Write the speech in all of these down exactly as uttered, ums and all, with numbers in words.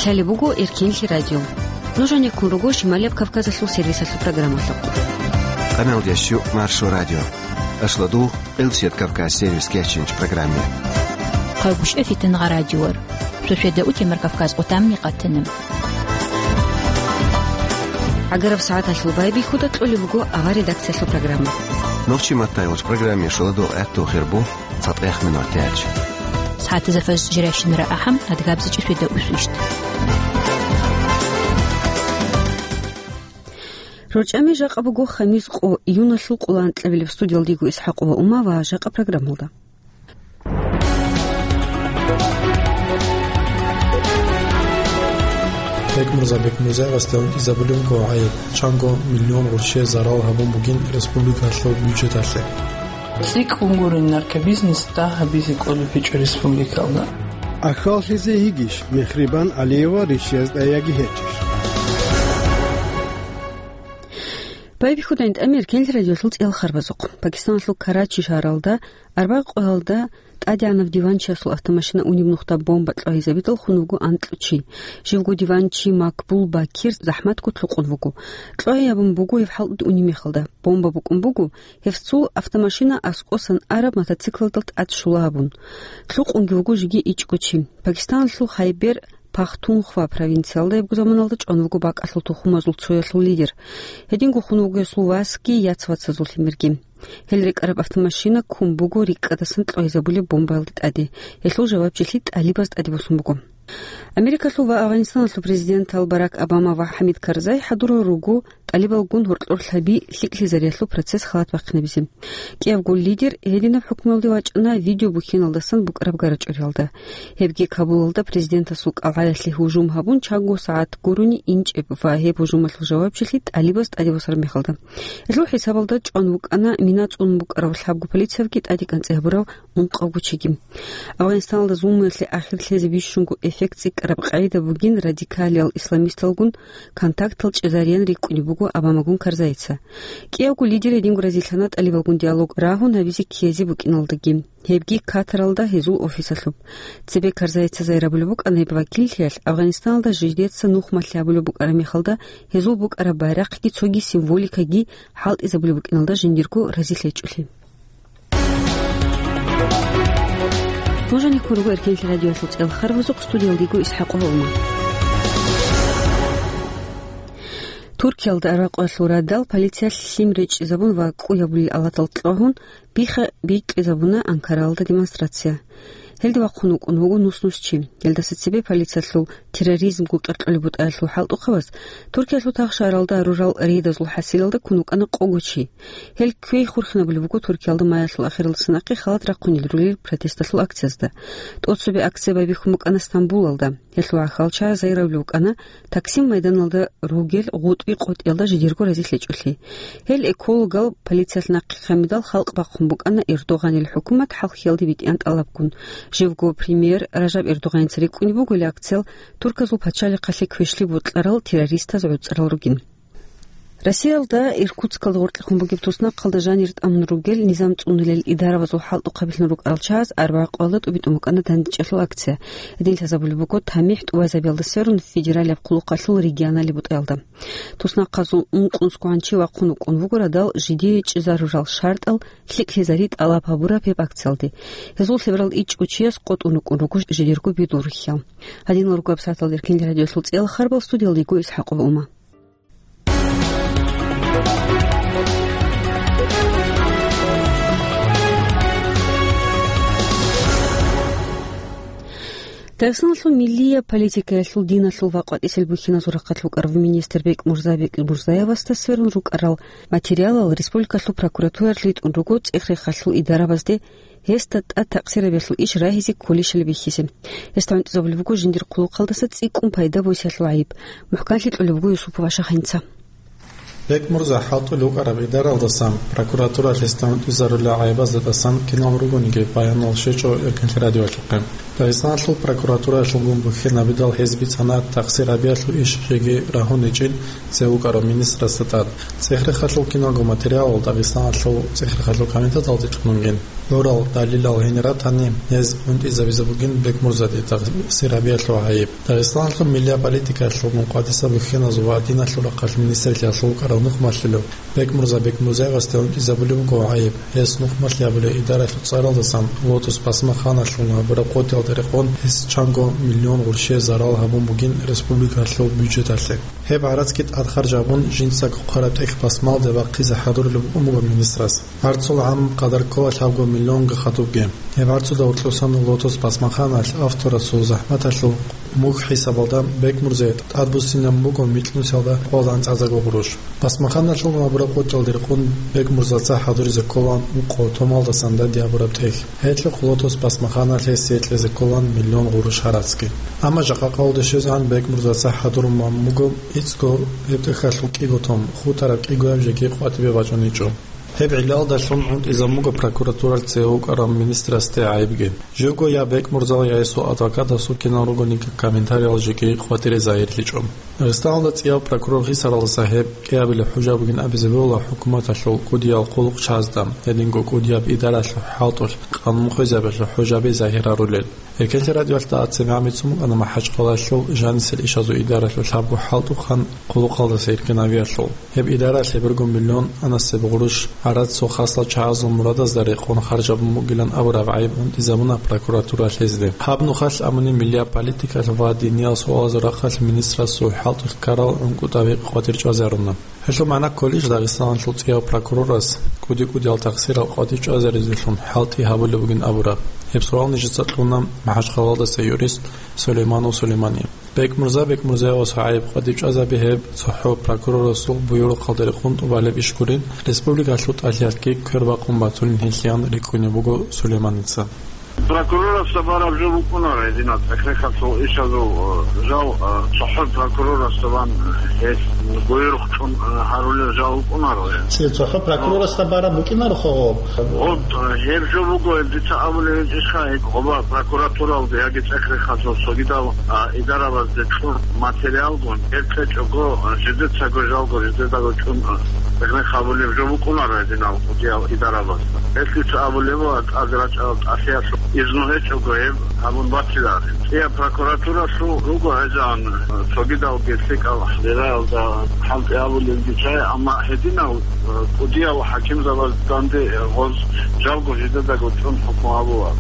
Лъалеб буго Эркенлъи радио. Нуж гьанеккун руго Шималияб Кавказалъул сервисалъул программалъухъ. Къаналдящу Маршо радио. Ашладу Къилсият Кавказ сервис кечинч программе. Хъагушев Фитангъа радиор. Шошеда утемар Кавказ отамни къатана. ГӀагараб сагӀаталъул байбихьуда кьолеб буго авар редакциялъул программа. Нохчи маттайгъуч программе шуладу гӀатту хирбу. ЦатӀех минутач. СагӀатазда фаз жирайщинара ахӀам, адгабзичӀи шведа усвищт. РорчӀами жакъа буго хамис къо, июналъул къоло анкьабилеб. Студиялдего ИсхӀакъова Ума ва жакъа программалда. Бекмурза Бекмурзаевасда унтӀизабулеб буго гӀайиб, чанго миллион гъурщи зарал гьабун бугин республикалъул бюджеталъе. ЦӀикӀкӀун гурин наркобизнес дагь гьабизе кӀолеб гьечӀо республикалда. Ахьаллъизе йигищ Мехрибан Алиева ришиязда яги гьечӀищ? Байбихьудайн тӀамир кенлъи радиолъул цӀел харбазухъ. Пакистаналъул Карачи шагьаралда, арбагъ къоялда тӀадегӀанав диванчиясул автомашина унеб нухда бомба кьвагьизабидал хун вуго анкьучи. Живго диванчи Макбул Бакир захӀматго лъукъун вуго. Кьвагьиябун буго гьев хӀалтӀуде унеб мехалда. Бомба букӀун буго, гьев цул автомашина аскӀосан араб мотоциклалда тӀад щула абун. Лъукъунги вуго жеги ичӀго чи. Пакистаналъул Хайбер Пахтунхва провинциялда гьебго заманалда чӀван вуго бакӀалъул тухумазул цоялъул лидер. Гьединго хун вуго гьесул васги яц-вацазул лъимерги. Гьел рекӀараб автомашина ккун буго рикӀкӀадасан кьвагьизабулеб бомбаялда тӀаде. Гьелъул жавабчилъи ТӀалибаз тӀаде босун буго. Америкалъул ва Афганистаналъул президентал Барак Обама ва ХӀамид Карзай хӀадурал руго ТӀалибалгун гьоркьор лъаби лъикӀлъизариялъул процесс халат бахъинабизе. КӀиябго лидер гьединаб хӀукмуялде вачӀана видеобухьеналдасан букӀараб гарачӀориялда. Гьебги Кабулалда президентасул кӀалгӀаялъе гьужум гьабун, чанго сагӀат гурони инчӀеб ва гьеб гьужумалъул жавабчилъи ТӀалибаз тӀаде босараб мехалда. Гьелъул хӀисабалда чӀван вукӀана мина цӀун букӀарав лъабго полициявги тӀадекӀанцӀи гьабурав ункъавго чиги. Афганистаналда зулмуялъе ахир лъезе бищунго эффект цӀикӀкӀараб къагӀида бугин радикалиял исламисталгун контактал чӀезареян рикӀкӀунеб буго Обамагун Карзайица. КӀиявго лидер гьединго разилъана ТӀалибалгун диалог рагьун гьабизе ккезе букӀиналдаги. Гьебги Катаралда гьезул офисалъуб. Цебе Карзайица зайрабулеб букӀана гьеб вакиллъиялъ Афганистаналда жидеца нух малъи гьабулеб букӀараб мехалда гьезул букӀараб байрахъги цоги символикаги хӀалтӀизабулеб букӀиналда жиндирго разилъ гьечӀолъи. Нуж гьанеккун руго Эркенлъи радиоялъул цӀел харбазухъ, студиялдего ИсхӀакъова Ума. Туркиялда арбакъуялъул радал полициялъ лъим речӀчӀизабун ва кӀу гьабулел алатал кьвагьун, бихха бикьизабуна Анкаралда демонстрация. Гьелде вахъун вукӀун вуго нус-нус чи. Гьелдаса цебе полициялъул терроризмго къеркьолеб бутӀаялъул хӀалтӀухъабаз Туркиялъул тахшаралда рурал рейдазул хӀасилалда ккун вукӀана къого чи. Гьел квей хурхинабулеб буго Туркиялда маялъул ахиралдаса нахъе халат рахъунел рулел протесталъул акциязда. ТӀоцебе акция байбихьун букӀана Стамбулалда. Гьелъул гӀахьалчагӀаз гьайравли вукӀана Таксим майданалда ругел гъутӀби къотӀиялда жидерго разилъ гьечӀолъи. Гьел экологал полициялъ нахъе хъамидал халкъ бахъун букӀана Эрдогъанил хӀукумат хӀалхьиялде битӀиян тӀалабгун. Живго премьер Ражаб Эрдогъаница рикӀкӀунеб буго гьел акциял Турказул пачалихъалъе квешлъи бокьарал террористаз гӀуцӀарал ругин. Россиялда Иркутскалда гъоркьехун бугеб туснахъалда жанир тӀамун ругел низам цӀунулел идарабазул хӀалтӀухъабилъун рукӀарал чагӀаз арбагъ къоялда тӀубитӀун букӀана дандечӀелъул акция. Гьедин лъазабулеб буго тамихӀ тӀубазабиялда сверун федералияб хъулухъалъул регионалияб бутӀаялда. Туснахъазул ункънусгогӀан чи вахъун вукӀун вуго радал жидее чӀезарурал шартӀал лъикӀлъизари тӀалаб гьабураб гьеб акциялде. Гьезул лъеберал ичӀго чияс къотӀун рукӀун руго жидерго бидул рухьал. Гьадинал ругаб сагӀаталда Эркенлъи радиоялъул цӀел харбал, студиялдего ИсхӀакъова Ума. Дагъистаналъул миллияб политикаялъул диналъул ва къватӀисел бухьиназул рахъалъ вукӀарав министр Бекмурза Бекмурзаевасда сверун рукӀарал материалал республикалъул прокуратуралъ ритӀун руго цӀех-рехалъул идарабазде гьесда тӀад такъсирабиялъул иш рагьизе кколищали бихьизе. Гьесда гӀунтӀизабулеб буго жиндир хъулухъалдаса цӀикӀкӀун пайда босиялъул гӀайиб. МухӀканлъи кьолеб буго Юсупова Шахинца. Бекмурза хӀалтӀулев вукӀараб гӀидаралдасан прокуратуралъ гьесда гӀунтӀизарулел гӀайибазда тӀасан кинал ругониги баянал щвечӀо Эркенлъи радиоялъухъе. Дагъистаналъул прокуратураялъулгун бухьинабидал гьез бицана тахсир гьабиялъул иш жеги рагьуничӀин цевукӀарав министрасда тӀад. ЦӀех-рехалъул киналго материалал Дагъистаналъул цӀех-рехалъул комитеталде чӀунунген. ГӀурал далилал гьенир ратани, гьез унтӀизабизе бугин Бекмурзаде тахсир гьабиялъул гӀайиб. Дагъистаналъул миллият политикаялъулгун къватӀиса бухьиназул ва диналъул рахъалъ министрлъиялъул вукӀарав нухмалъулев Бекмурза Бекмурзаевасда унтӀизабулеб буго гӀайиб. Гьес нухмалъи гьабулей идаралъул цӀаралдасан Лотос пасмаханалъул гьабураб къотӀиялда рекъон гьес чанго миллион гъурщие зарал гьабун бугин республикалъул бюджеталъе. Гьеб гӀарацги тӀад харж гьабун, жинцаго хъвараб тӀехь пасмалде вахъизе хӀадурулеб букӀун буго министрас. ГӀарцул гӀам къадар ккола лъабго миллионга хадубги. Гьеб гӀарцуда гьоркьосан Лотос пасмаханалъ авторасул захӀматалъул мухь хӀисабалда Бекмурзае тӀадбуссинаб буго микьнусиялда къолан цӀазаго гъурущ. Пасмаханалъул гьабураб къотӀиялда рекъон Бекмурзаца хӀадуризе ккола ункъо томалдасан данде гьабураб тӀехь. Гьелъухъ Лотос пасмаханалъ гьесие кьезе кколан миллион гъурущ гӀарацги. Амма жакъа къавлде щвезегӀан Бекмурзаца хӀадурун буго иццго гьеб тӀехьалъул кӀиго том, хутараб кӀигояб жеги къватӀибе бачӀуничӀо. Гьеб гӀиллалдалъун гӀунтӀизабун буго прокуратуралъ цеве вукӀарав министрасде гӀайибги. Живго я Бекмурзал, я гьесул адвокатасул кинал ругониги комментариял жеги къватӀире загьирлъичӀо. Дагъистаналда цӀияв прокурор хисаралдаса гьеб кӀиабилеб хӀужа бугин абизе бегьула хӀукуматалъул кӀудиял хъулухъчагӀазда, гьединго кӀудияб идаралъул хӀалтӀулъ къанун хвезабиялъул хӀужаби загьир гьарулел. Эркенлъи радиоялъ дагьаб цебе гӀамицун букӀана МахӀачхъалаялъул жанисел ишазул идаралъул лъабго хӀалтӀухъан хъулухъалдаса иркинабиялъул. Гьеб идаралъ гьебурго миллион анасеб гъурущ гӀарацал хаслал чагӀазул мурадазда рекъон харжабун бугилан абураб гӀайиб унтӀизабуна прокуратура лъезде. Гьаб нухалъ абуни миллият политикалъ ва диниял суалазул рахъалъ министрасул хӀалтӀулъ ккарал гӀункӀутӀаби къватӀир чӀвазаруна. Гьелъул магӀна кколищ Дагъистаналъул цӀияв прокурорас кӀуди-кӀудиял тахсирал къватӀир чӀвазаризелъун хӀалтӀи гьабулеб бугин абураб? Гьеб суал нижеца кьуна МахӀачхъалаялдаса юрист Сулейманов Сулеймани. Бекмурза Бекмурзаевасул гӀайиб къватӀир чӀвазаби гьеб цохӀо прокурорасул буюрухъалда рекъон тӀубалеб иш гурин, республикалъул тӀалъиялъги квербакъун батулин гьелъиян рикӀкӀунеб буго Сулейманица. Прокурорасда бараб жо букӀунаро гьединаб цӀех-рехалъул ишазул, э, жал, э, цохӀо прокурорасда бан, э, гьел буюрухъ чӀун, э, гьарулел жал букӀунаро гьеб. Ци-, цохӀо прокурорасда бараб букӀинаро хъо гъоб? Гъоб, э, гьеб жо буго, гьеб дица абулеб гьечӀищха, гьеб гъоба прокуратуралде яги цӀех-рехалъул цогидал, а, идарабазде кьур материалгун, гьеб кьечӀого, э, жидецаго жалго, жидедаго чӀун, э, цӀех-рех гьабулеб жо букӀунаро гьединал кӀудиял идарабазда. Гьелъ дица абулеб буго, тӀаде рачӀарал тӀалъиялъул изну гьечӀого гьеб гьабун батиларо. ЦӀияб прокуратуралъул руго гьезан цогидалги лъикӀал бераялда хӀалтӀи гьабулелги чӀай, амма гьединал, э, кӀудиял хӀакимзабаз данде, э, гъоз жалго жидедаго чӀун хӀукму гьабула.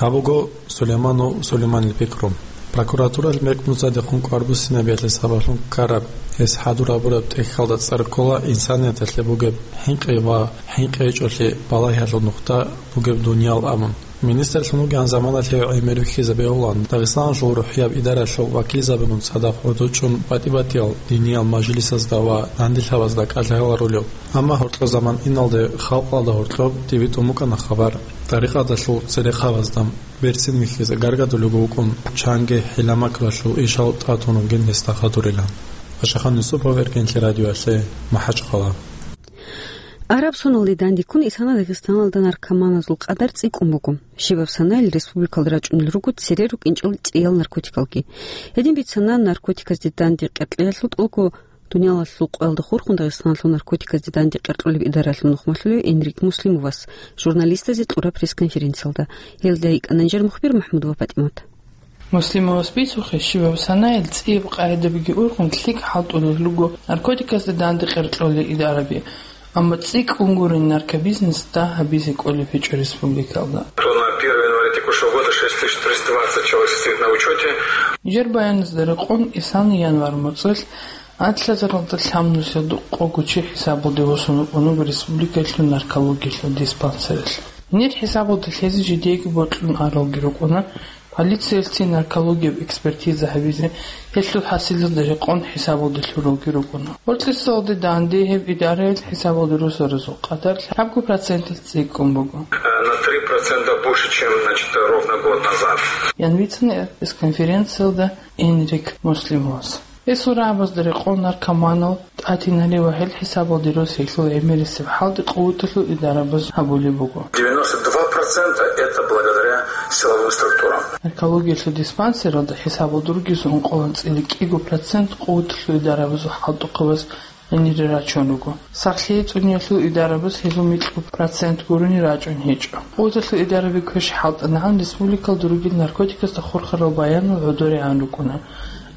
Гьаб буго Сулейманов Сулейманил пикру. Прокуратуралъ Бекмурзадехун кӀвар буссинабиялъе сабаблъун ккараб, гьес хӀадур гьабураб тӀехьалда цӀар ккола инсанияталъе бугеб хӀинкъи ва хӀинкъи гьечӀолъи балагьиялъул нухда бугеб дуниял абун. Министрлъун вугеван заманалъ гьев гӀемер вихьизабе гьавулан, Дагъистаналъул рухӀияб идаралъул вакилзабигун цадахъ гӀодов чӀун батӀи-батӀиял диниял мажлисазда ва нандилъабазда кӀалъаяларулев. Амма гьоркьо заман иналде халкъалда гьоркьоб тӀибитӀун букӀана хабар, тӀарикъаталъул церехъабазда берцин вихьизе гаргадулего вукӀун, чанги хӀила-макралъул ишал тӀатун вугин гьесда хадурилан. Пашахан Юсупов, Эркенлъи радиоялъе, МахӀачхъала. Араб соналде дандеккун исана Дагъистаналда наркоманазул къадар цӀикӀкӀун буго. Щибаб санаялъ республикалда рачӀунел руго цере рукӀинчӀел цӀиял наркотикалги. Гьедин бицана наркотиказде данде къеркьеялъул тӀолго дуниялалъул къоялда хурхун Дагъистаналъул наркотиказде данде къеркьулеб идаралъул нухмалъулев Энрик Муслимовас журналистазе кьураб пресс-конференциялда. Гьелда йикӀана нижер мухбир МахӀмудова ПатӀимат. Муслимовас бицухъе, щибаб санаялъ цӀияб къагӀидабиги ургъун лъикӀ хӀалтӀулел руго наркотиказда данде къеркьулел идараби, амма цӀикӀкӀун гурин наркобизнес дагь гьабизе кӀолеб гьечӀо республикалда. То на первое января текущего года шесть тысяч триста двадцать человек состоит на учете. Нижер баяназда рекъон, исана январь моцӀалъ анлъазаралда лъабнусиялда къого чи хӀисабалде восун вукӀун вуго республикалъул наркологиялъул диспансералъ. Нилъ хӀисабалда лъезе жидееги бокьун аралги рукӀуна, полициялъе наркологияб экспертиза гьабизе, гьелъул хӀасилалда рекъон хӀисабалде лъуралги рукӀуна. Гьоркьисалде данде гьеб идараялъ хӀисабалде росаразул къадар лъабго проценталъ цӀикӀкӀун буго. На три процента больше, чем, значит, ровно год назад. Ян бицана пресс-конференциялда Энрик Муслимовас. Гьесул рагӀабазда рекъон наркоманал тӀатинали ва гьел хӀисабалде росиялъул гӀемерисеб хӀалтӀи къуваталъул идарабаз гьабулеб буго. Девяносто два Процента это благодаря силовым структурам. Наркологиялъул диспансералда хӀисабалда ругезул ункъоялда цӀили кӀиго процент къуваталъул идарабазул хӀалтӀухъабаз гьенире рачун руго. Сахлъи цӀуниялъул идарабаз гьезул микьго процент гурони рачӀун гьечӀо. Къуваталъул идараби квеш хӀалтӀанагӀан республикалда ругел наркотикасда хурхарал баянал гӀодорегӀан рукӀуна.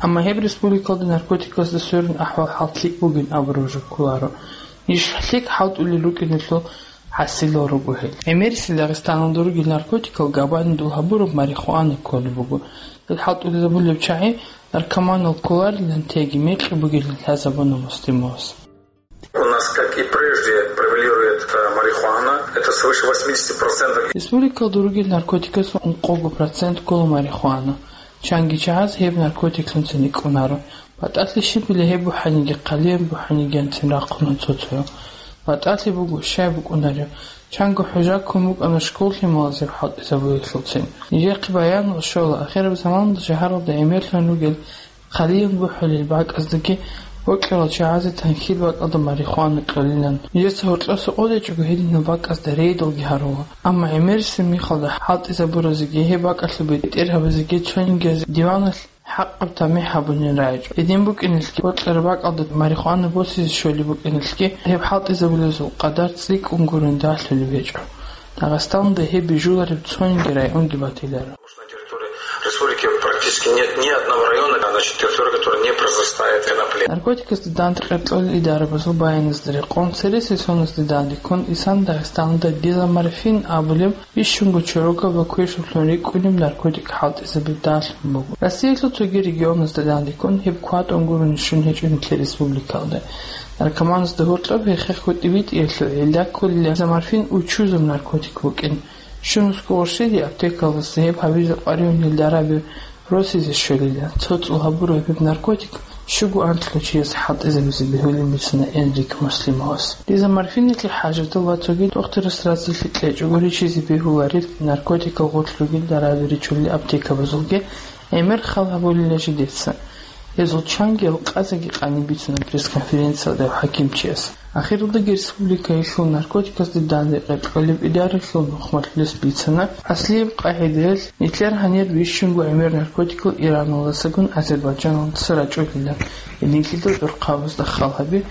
Амма гьеб республикалда наркотикасда сверун ахӀвал-хӀал лъикӀ бугин абураб жо кколаро. Иш лъикӀ хӀалтӀулел рукӀиналъул хӀасилал руго гьел. ГӀемерисел Дагъистаналда ругел наркотикал габанидул гьабураб марихуана кколеб буго. Гьел хӀалтӀулезабулеб чагӀи наркоманал кколарилан теги мекъи бугилан лъазабуна Муслимовас. У нас, как и прежде, превалирует, э, марихуана. Это свыше восьмидесяти процентов. Республикалда ругел наркотикасул ункъого процент ккола марихуана. Чанги чагӀаз гьеб наркотиклъунцин рикӀкӀунаро. БатӀалъи щибила гьеб бухӀаниги, хъалияб бухӀанигиян цин рахъуна цо-цоял. БатӀалъи буго, щай букӀунареб. Чанго хӀужа ккун букӀана школ лъималазеб хӀалтӀизабулелъулцин. Нижехъе баянал щола, ахираб заманалда шагьаралда гӀемерлъун ругел хъалиян бухӀулел бакӀаздаги бокьарал чагӀазе танхьил бакӀалда марихуана кьолилан. Нижеца гьоркьоса къотӀичӀого гьединал бакӀазда рейдалги гьарула. Амма гӀемерисеб мехалда хӀалтӀизабуразеги гьеб бакӀалъул бетӀергьабазеги цониги диваналъ хӀакъаб тамихӀ гьабунин рагӀичӀо. Гьедин букӀиналъги, бокьараб бакӀалда марихуана босизе щолеб букӀиналъги, гьеб хӀалтӀизабулезул къадар цӀикӀкӀун гурони ралъулеб гьечӀо. Дагъистаналда гьеб бижулареб цониги районги батиларо. На территории республики практически нет ни одного района, значит, территория, которая не произрастает конопля. Наркотикасда дандекъер кьолел идарабазул баяназда рекъон, цересел соназда дандеккун, исан Дагъистаналда дезоморфин абулеб бищунго чорокаб ва квешаблъун рикӀкӀунеб наркотик хӀалтӀизабизе бегьулеб буго. Россиялъул цоги регионазда дандеккун гьеб кватӀун гурони щун гьечӀо нилъер республикалда. Наркоманазда гьоркьоб гьехъехъ гьитӀи-битӀиялъул гӀилла кколила дезоморфин учузаб наркотик букӀин. Щунусго гъурщиде аптекалдаса гьеб гьабизе къваригӀунел дараби росизе щолила. ЦоцӀул гьабураб гьеб наркотик щуго анкьлъул чияс хӀалтӀизабизе бегьулин бицана Энрик Муслимовас. Дезоморфиналъе хӀажатал ва цоги дохтурас разилъи кьечӀого ричизе бегьуларел наркотикал гъорлъ ругел дараби ричулел аптекабазулги гӀемер хал гьабулила жидеца. Гьезул чанги алкъазеги къани бицана пресс-конференциялда гьев хӀакимчияс. Ахиралдаги республикаялъул наркотикасда дандекъер кьолеб идаралъул нухмалъулес бицана, аслияб къагӀидаялъ, нилъер гьанир бищунго гӀемер наркотикал Ираналдасагун Азербайджаналдаса рачӀунила, гьединлъидал гӀурхъабазда хал гьаби,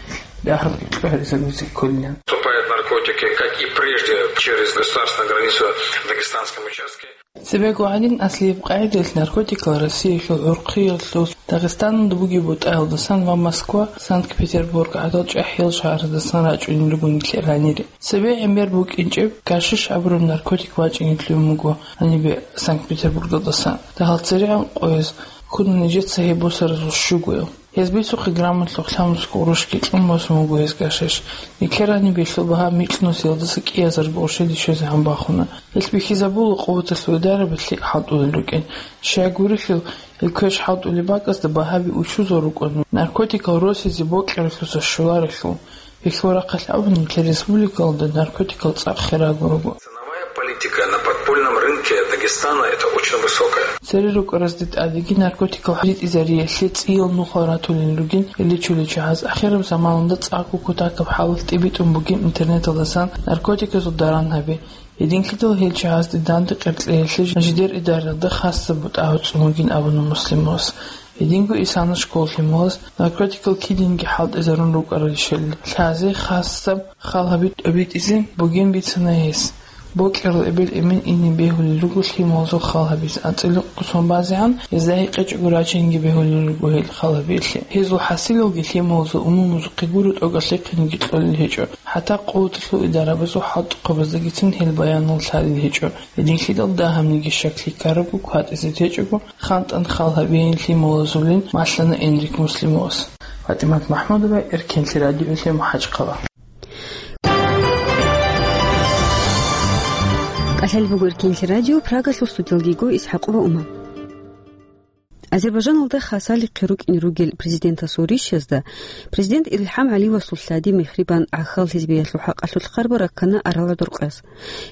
дагьабги чӀваризабизе кколилан. Поступают наркотики, как и прежде, через государственную границу в дагестанском участке. Цебего гьанин аслияб къагӀидаялъ наркотикал Россиялъул гӀурхъиялъул Дагъистаналда бугеб бутӀаялдасан ва Москва, Санкт-Петербург гӀадал чӀахӀиял шагьаралдасан рачӀунел руго нилъер гьанире. Цебе гӀемер букӀинчӀеб гашиш абураб наркотик вачӀине лъугӀун буго гьанибе Санкт-Петербургалдасан. Дагьал церегӀан къояз ккуна нижеца гьеб босаразул щугоял. Гьез бицухъе граммалъухъ лъабнусго гъурущги кьун босун буго гьез гашиш. Нилъер гьаниб гьелъул багьа микьнусиялдаса кӀиазарго гъурщиде щвезегӀан бахуна. Гьелъ бихьизабула къуваталъул идараби лъикӀ хӀалтӀулел рукӀин. Щай гурелъул, гьел квеш хӀалтӀулеб бакӀазда багьаби учузал рукӀун, наркотикал росизе бокьаралъуса щоларелъул. Гьелъул рахъалъ абуни, нилъер республикалда наркотикал цӀакъ хирагун руго. Ценовая политика на подпольном рынке Дагестана — это очень высокая. Цере рукӀаразде тӀадеги наркотикал ритӀизариялъе цӀиял нухал ратулел ругин, гьел ричулел чагӀаз ахираб заманалда цӀакъго кутакаб хӀалалъ тӀибитӀун бугин интернеталдасан наркотиказул даран гьаби. Гьединлъидал гьел чагӀазде дандекъер кьеялъе жидер идаралда хасаб бутӀа гьуцӀун бугин абуна Муслимовас. Гьединго исана школ лъималаз наркотикал кидинги хӀалтӀизарун рукӀаралищали лъазе хасаб хал гьаби тӀибитӀизе бугин бицана гьес. Бокьарал эбел-эмен ине бегьулел руго лъималазул хал гьабизе, анцӀила кӀусон базегӀан гьезда гьекъечӀого рачинги бегьулел руго гьел хал гьабиялъе. Гьезул хӀасилалги лъималазул умумузухъе гуро тӀокӀалъихъинги кьолел гьечӀо, хӀатта къуваталъул идарабазул хӀалтӀухъабаздагицин гьел баянал лъалел гьечӀо. Гьединлъидал дагьабниги щаклъи ккарабго кватӀизе течӀого, хантӀан хал гьабейин лъималазулин малъана Энрик Муслимовас. ФатӀимат МахӀмудова, Эркенлъи радиолъе, МахӀачхъала. КӀалъалеб буго Эркенлъи радио, Прагалъул студиялдего ИсхӀакъова Ума. Азербайджаналда хасалихъе рукӀине ругел президентасул ришазда президент ИлхӀам ГӀалиевасул лъади мехрибан гӀахьал хӀизбиялъул хӀакъалъулъ хъарбар раккана арал гӀодор къояз.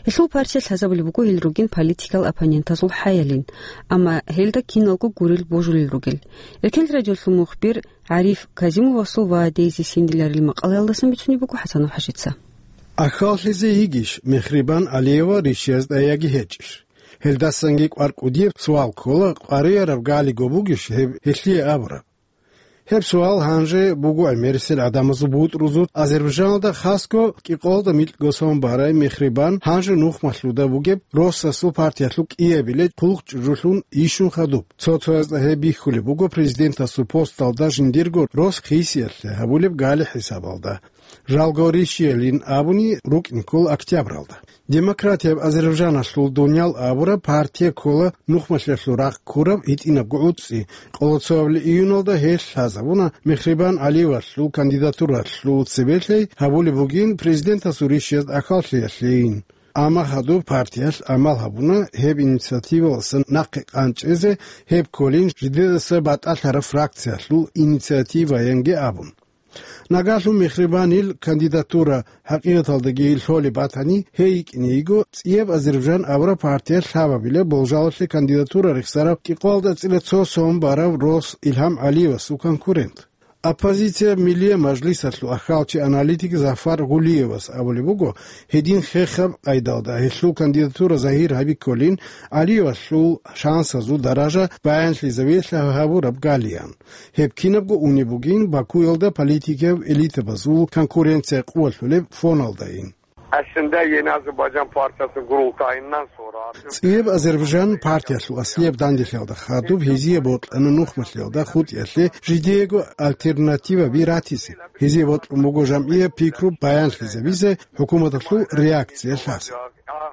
Гьелъул партия лъазабулеб буго гьел ругин политикал оппонентазул хӀаялин, амма гьелда киналго гурел божулел ругел. Эркенлъи радиолъул мухбир ГӀариф Казимовасул ва Дейзи Синдиларил макъалаялдасан бицунеб буго ХӀасанов ХӀажица. Ахьаллъизе йигищ Мехрибан Алиева Ришиязда яги гьечӀищ? Гьелдасанги кӀвар кӀудияб суал ккола, къваригӀараб галиго бугищ гьеб гьелъие абураб? Гьеб суал гьанже буго гӀемерисел гӀадамазул бутӀрузул Азербайжаналда, хасго кӀикъоялда микьго сон барай Мехрибан гьанже нухмалъуда бугеб Россасул партиялъул кӀиабилеб хъулухъ чӀужулъун йищун хадуб. Цо-цоясда гьеб бихьулеб буго президентасул посталда жиндирго рос хисиялъе гьабулеб гали хӀисабалда. Жалго Ришиялин абуни рукӀин ккола октябралда. Демократияб Азербайжаналъул Дуниял абураб партия ккола нухмалъиялъул рахъ ккураб гьитӀинабго гӀуцӀи, къоло цоабилеб июналда гьелъ лъазабуна Мехрибан Алиевалъул кандидатуралъул цебе лъей гьабулеб бугин президентасул Ришияз ахьаллъиялъейин. Амма гьадуб партиялъ амал гьабуна гьеб инициативалдаса нахъе къанчӀезе, гьеб кколин жидедаса батӀалъараб фракциялъул инициативаянги абун. Нагагьлъун Мехрибанил кандидатура хӀакъикъаталдаги лъолеб батани, гьей йикӀине йиго цӀияб Азербайжан абураб партиялъ лъабабилеб болжалалъе кандидатура рехсарав кӀикъоялда цӀила цо сон барав рос Илгьам Алиевасул конкурент. Оппозицияб Миллияб мажлисалъул ахьалчи-аналитик Зафар Гулиевас абулеб буго, гьедин хехаб къайдалда гьелъул кандидатура загьир гьабикколин, Алиевалъул шансазул даража баянлъизавилъа гьабураб галиян. Гьеб кинабго унеб бугин Бакуялда политикияв элитабазул конкуренция къувалъулеб фоналдайин. Aslında Yeni Azerbaycan Partisi kurultayından sonra ЦӀияб Азербайжан партиялъул аслияб данделъиялда хадуб гьезие бокьана нухмалъиялда хутӀиялъе жидеего альтернативаби ратизе. Гьезие бокьун буго жамгӀияб пикру баянлъизабизе, хӀукуматалъул реакция лъазе.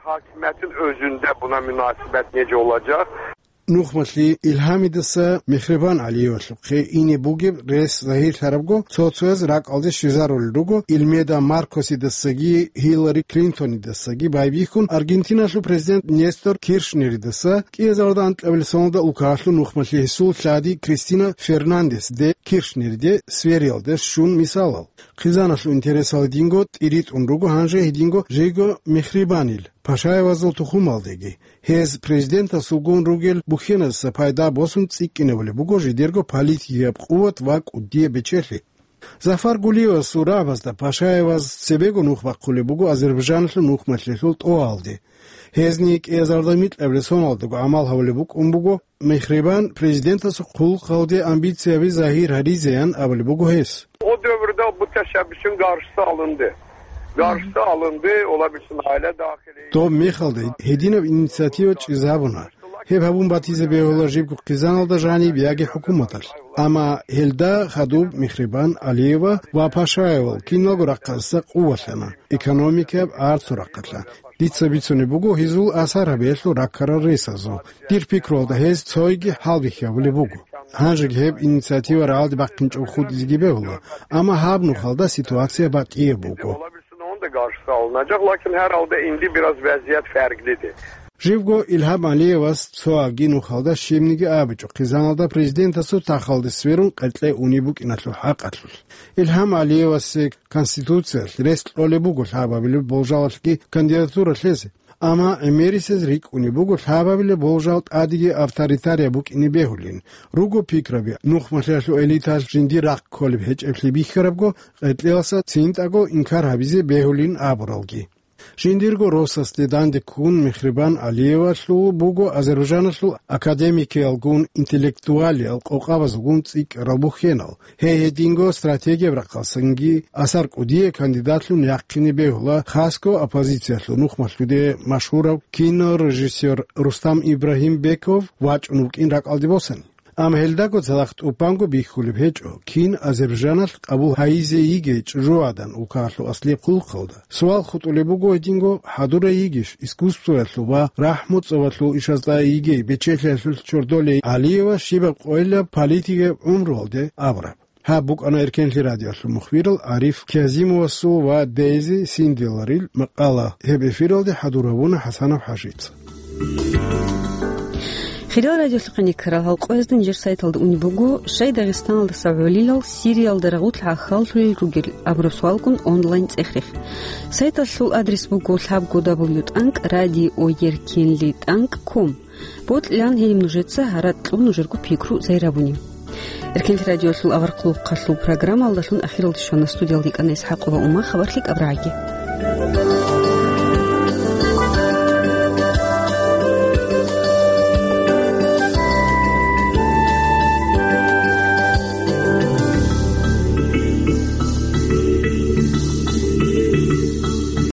Hakimiyetin özünde buna münasebet nece olacak? Нухмалъи Илгьамидаса Мехрибан Алиевалъухъе ине бугеб рес загьирлъарабго, цо-цояз ракӀалде щвезарулел руго, Илмеда Маркосидасаги Хиллари Клинтонидасаги байбихьун, Аргентиналъул президент Нестор Киршнеридаса кӀиазарда анкьабилеб соналда улкаялъул нухмалъи гьесул лъади Кристина Фернандес де Киршнериде свериялде щун мисалал. Хъизаналъул интересалдинго тӀиритӀун руго гьанже гьединго жего Мехрибанил Пашаевазул тухумалдеги. Гьез президентасулгун ругел бухьеназда пайда босун цӀикӀкӀинабулеб буго жидерго политикияб къуват ва кӀудияб бечелъи. Зафар Гулиевасул рагӀабазда Пашаеваз цебего нух бахъулеб буго Азербайжаналъул нухмалъиялъул тӀоалде. Гьезни кӀиазарда микьабилеб соналдаго гӀамал гьабулеб букӀун буго, Мехрибан президентасул хъулухъалде амбицияби загьир гьаризеян абулеб буго гьес. O dövrde bu teşebbüsün karşısı alındı. Karşısı alındı, olabilirsin aile dahili. Доб мехалда гьединаб инициатива чӀезабуна. Гьеб гьабун батизе бегьула жибго хъизаналда жаниб яги хӀукуматалъ. Амма гьелда хадуб Мехрибан Алиева ва Пашаевал киналго рахъалдаса къувалъана, экономикаяб арцу рахъалъа. Дица бицунеб буго гьезул асар гьабиялъул раккарал ресазул. Дир пикруялда гьез цойги гьалбихьабулеб буго. Гьанжеги гьеб инициатива рагӀалде бахъинчӀого хутӀизеги бегьула, амма гьаб нухалда ситуация батӀияб буго. Onu da karşısı alınacak. Lakin herhalde indi biraz vaziyet farklıdır. Живго Илгьам Алиевас цоабги нухалда щибниги абичӀо хъизаналда президентасул тахалде сверун къеркье унеб букӀиналъул хӀакъалъулъ. Илгьам Алиевасе Конституциялъ рес кьолеб буго лъабабилеб болжалалъги кандидатура лъезе. Амма гӀемерисез рикӀкӀунеб буго лъабабилеб болжал тӀадеги авторитарияб букӀине бегьулин. Руго пикраби, нухмалъиялъул элиталъ жиндир рахъ кколеб гьечӀеблъи бихьарабго, къеркьеласа цинтӀаго инкар гьабизе бегьулин абуралги. Жиндирго росасде данде ккун Мехрибан Алиевалъул буго Азербайжаналъул академикиялгун, интеллектуалиял къокъабазулгун цӀикӀкӀарал бухьенал. Гьей гьединго стратегияб рахъалдасанги асар кӀудияй кандидатлъун яхъине бегьула, хасго оппозициялъул нухмалъуде машгьурав кинорежиссер Рустам Ибрагьимбеков вачӀун вукӀин ракӀалде босани. Амма гьелдаго цадахъ тӀубанго бихьулеб гьечӀо, кин Азербайжаналъ къабул гьайизе йигей чӀужугӀадан улкаялъул аслияб хъулухъалда. Суал хутӀулеб буго гьединго, хӀадурай йигищ искусствоялъул ва рахӀму-цӀобалъул ишазда йигей бечелъиялъулъ чордолей Алиева щибаб къойилаб политикияб гӀумруялде абураб. Гьаб букӀана Эркенлъи радиоялъул мухбирал Ариф Кязимовасул ва Дейзи Синдиларил макъала. Гьеб эфиралде хӀадур гьабуна ХӀасанов ХӀажица. Хириял радиолъухъе ккарал гьал къоязда нижер сайталда унеб буго, щай Дагъистаналдаса гӀолилал Сириялда рагъулъ гӀахьаллъулел ругел абураб суалгун онлайн цӀех-рех. Сайталъул адрес буго лъабго дабл ю тӀанкӀ радио еркенлъи тӀанкӀ ком. Бокьилаан гьениб нужеца гьаракь кьун нужерго пикру зайрабуни. Эркенлъи радиолъул авар хъулухъалъул программалдалъун ахиралде щвана. Студиялда йикӀана ИсхӀакъова Ума. Хабарлъи кӀабрагӀаги.